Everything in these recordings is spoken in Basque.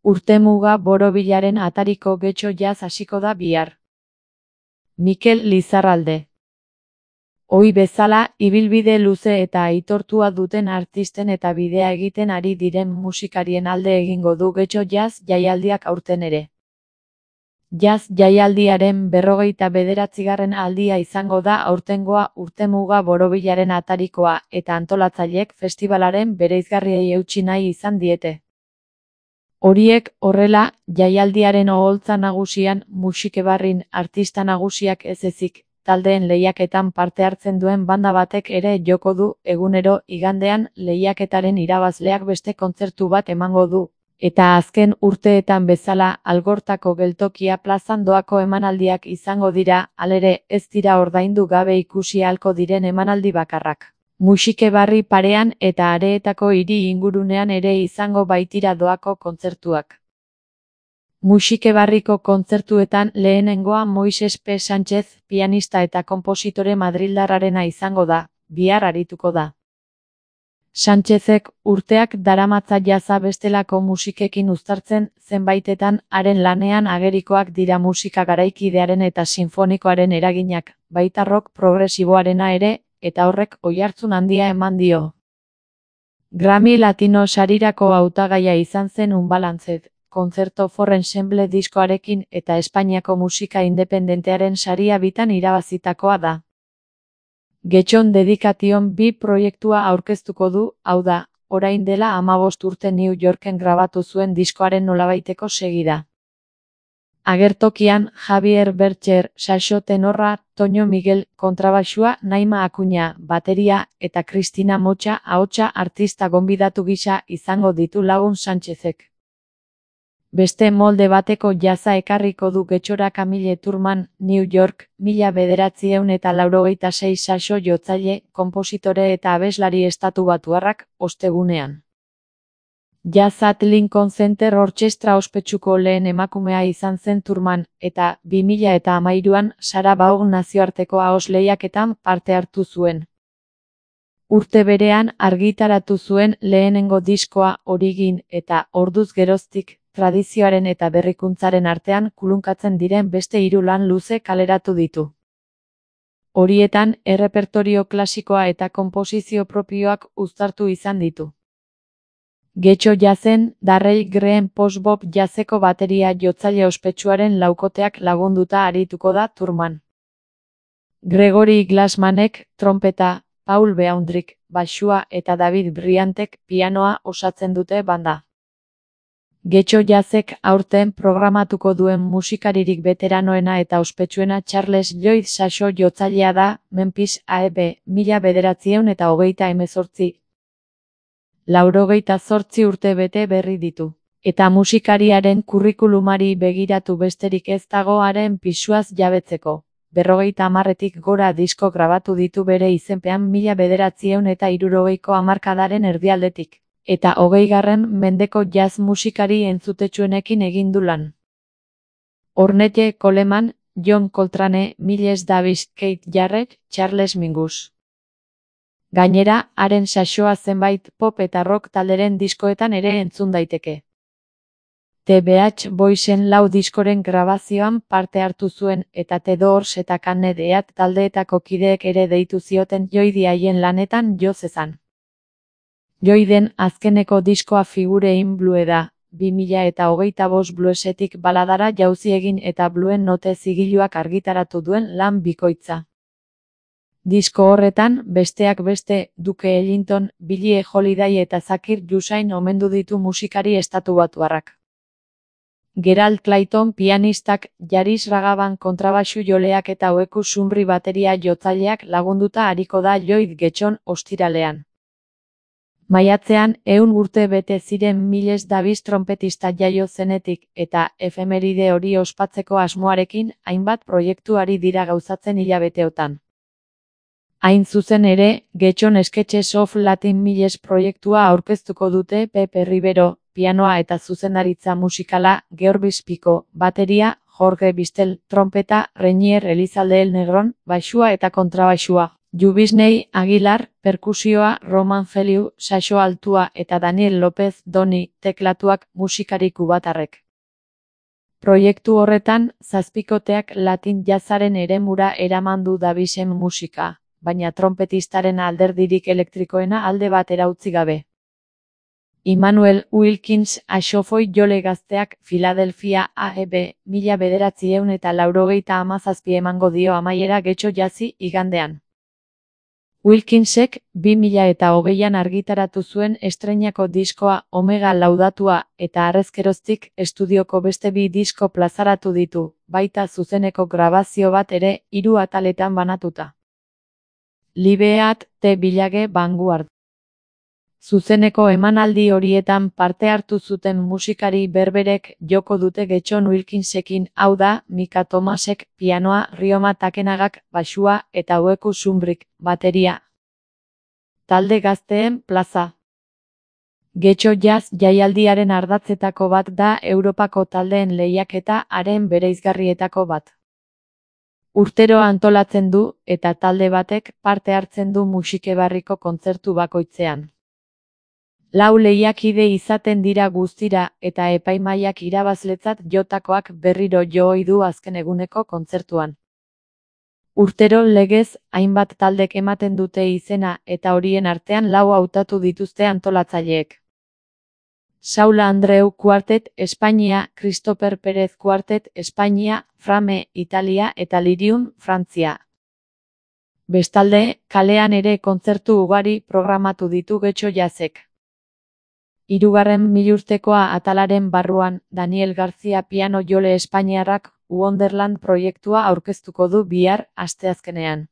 Urtemuga borobilaren atariko Getxo Jazz hasiko da bihar. Mikel Lizarralde. Ohi bezala, ibilbide luze eta aitortua duten artisten eta bidea egiten ari diren musikarien alde egingo du Getxo Jazz jaialdiak aurten ere. Jazz jaialdiaren 49. aldia izango da aurtengoa urtemuga borobilaren atarikoa eta antolatzaileek festibalaren bereizgarriei eutsi nahi izan diete. Horiek horrela, jaialdiaren oholtza nagusian musikebarrin artista nagusiak ez ezik, taldeen lehiaketan parte hartzen duen banda batek ere joko du egunero igandean lehiaketaren irabazleak beste kontzertu bat emango du. Eta azken urteetan bezala Algortako geltokia plazan doako emanaldiak izango dira, halere ez dira ordaindu gabe ikusi ahalko diren emanaldi bakarrak. Musikebarri parean eta areetako hiri ingurunean ere izango baitira doako kontzertuak. Musikebarriko kontzertuetan lehenengoa Moises P. Sánchez, pianista eta konpositore madrildarrarena izango da, bihar arituko da. Sánchezek urteak daramatza jazza bestelako musikekin uztartzen, zenbaitetan haren lanean agerikoak dira musika garaikidearen eta sinfonikoaren eraginak, baita rock progresiboarena ere, eta horrek oihartzun handia eman dio. Grammy Latino sarirako hautagaia izan zen Unbalanced, Concerto for Ensemble diskoarekin eta Espainiako musika independentearen saria bitan irabazitakoa da. Getxon Dedication 2 proiektua aurkeztuko du, hau da, orain dela 15 urte New Yorken grabatu zuen diskoaren nolabaiteko segida. Agertokian Javier Bercher, saxo tenorra, Toño Miguel, kontrabaxua, Naima Akuña, bateria, eta Cristina Mocha, ahotsa artista gonbidatu gisa izango ditu lagun Sánchezek. Beste molde bateko jazza ekarriko du Getxora Camille Turman, New York, 1986 saxo jotzaile, konpositore eta abeslari estatubatuarrak, ostegunean. Jazz at Lincoln Center Orchestra ospetsuko lehen emakumea izan zen Turman, eta 2013an Sarah Vaughan nazioarteko ahoz lehiaketan parte hartu zuen. Urte berean argitaratu zuen lehenengo diskoa Origin eta orduz geroztik, tradizioaren eta berrikuntzaren artean kulunkatzen diren beste 3 lan luze kaleratu ditu. Horietan, errepertorio klasikoa eta konposizio propioak uztartu izan ditu. Getxo Jazzen, Darrell Green post-bop jazzeko bateria jotzaile ospetsuaren laukoteak lagunduta arituko da Turman. Gregory Glassmanek, trompeta, Paul Beaundrik, baxua eta David Bryantek, pianoa osatzen dute banda. Getxo Jazzek aurten programatuko duen musikaririk beteranoena eta ospetsuena Charles Lloyd saxo jotzailea da, Memphis AEB, 1928. 98 urte bete berri ditu. Eta musikariaren kurrikulumari begiratu besterik ez dago haren pisuaz jabetzeko. 50 gora disko grabatu ditu bere izenpean 1960ko hamarkadaren erdialdetik. Eta 20. mendeko jazz musikari entzutetsuenekin egin du lan. Ornette Coleman, John Coltrane, Miles Davis, Keith Jarrett, Charles Mingus. Gainera, haren saxoa zenbait pop eta rock talderen diskoetan ere entzun daiteke. The Beach Boysen 4 diskoren grabazioan parte hartu zuen eta The Doors eta Canned Heat taldeetako kideek ere deitu zioten Lloydi haien lanetan jo zezan. Lloyden azkeneko diskoa Figure in Blue da, 2025 bluesetik baladara jauzi egin eta bluen note zigiluak argitaratu duen lan bikoitza. Disko horretan, besteak beste, Duke Ellington, Billie Holiday eta Zakir Hussain omendu ditu musikari estatubatuarrak. Gerald Clayton pianistak, Yaris Ragavan kontrabaxu joleak eta Ueku Sunri bateria jotzaileak lagunduta ariko da Lloyd Getxon ostiralean. Maiatzean, 100 urte bete ziren Miles Davis trompetista jaio zenetik, eta efemeride hori ospatzeko asmoarekin, hainbat proiektuari dira gauzatzen hilabeteotan. Hain zuzen ere, Getxon Sketches of Latin Miles proiektua aurkeztuko dute Pepe Rivero, pianoa eta zuzendaritza musikala, Georges Pico, bateria, Jorge Bistel, trompeta, Reinier Elizalde El Negron, baxua eta kontrabaxua, Jubisnei Aguilar, perkusioa, Roman Feliu, saxo altua eta Daniel López Doni, teklatuak musikari kubatarrek. Proiektu horretan, zazpikoteak Latin jazzaren eremura eraman du dabisen musika, baina tronpetistaren alderdirik elektrikoena alde batera utzi gabe. Immanuel Wilkins axofoi jole gazteak Philadelphia AEB 1987 emango dio amaiera Getxo Jazzi igandean. Wilkinsek 2020an argitaratu zuen estreinako diskoa Omega laudatua eta harrezkeroztik estudioko beste 2 disko plazaratu ditu, baita zuzeneko grabazio bat ere 3 ataletan banatuta. Libeat T. Village Vanguard. Zuzeneko emanaldi horietan parte hartu zuten musikari berberek joko dute Getxon Wilkinsekin, hau da, Mika Thomasek pianoa, Rioma Takenagak baxua eta Ueku Zumbrik bateria. Talde gazteen plaza. Getxo Jazz jaialdiaren ardatzetako bat da Europako taldeen lehiaketa haren bereizgarrietako bat. Urtero antolatzen du eta talde batek parte hartzen du musikebarriko kontzertu bakoitzean. 4 lehiakide izaten dira guztira eta epaimahaiak irabazletzat jotakoak berriro jo ohi du azken eguneko kontzertuan. Urtero legez, hainbat taldek ematen dute izena eta horien artean 4 hautatu dituzte antolatzaileek. Saula Andreu Quartet Espainia, Christopher Pérez Quartet Espainia, Frame Italia eta Lirium Frantzia. Bestalde, kalean ere kontzertu ugari programatu ditu Getxo Jazzek. 3. milurtekoa atalaren barruan, Daniel García piano jole espainiarrak Wonderland proiektua aurkeztuko du bihar asteazkenean.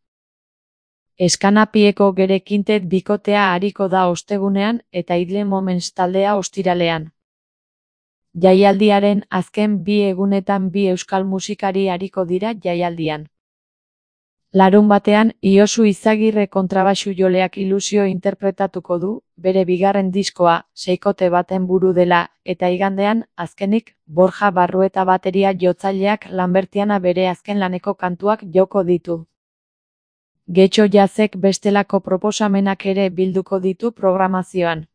Eskanapieko Gere Quintet bikotea ariko da ostegunean eta Idle Moments taldea ostiralean. Jaialdiaren azken 2 egunetan 2 euskal musikari ariko dira jaialdian. Larunbatean, Iosu Izagirre kontrabaxu joleak Ilusio interpretatuko du, bere 2. diskoa, 6kote baten buru dela, eta igandean, azkenik, Borja Barrueta bateria jotzaileak Lambertiana bere azken laneko kantuak joko ditu. Getxo Jazzek bestelako proposamenak ere bilduko ditu programazioan.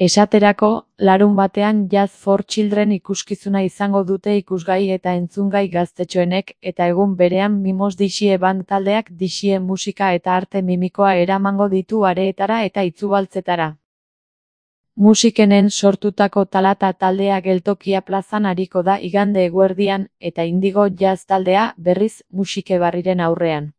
Esaterako, larunbatean Jazz for Children ikuskizuna izango dute ikusgai eta entzungai gaztetxoenek eta egun berean Mimos Dixie band taldeak Dixie musika eta arte mimikoa eramango ditu areetara eta itzubaltzetara. Musikenen sortutako Talata taldea Geltokia plazan ariko da igande eguerdian eta Indigo Jazz taldea berriz musikebarriren aurrean.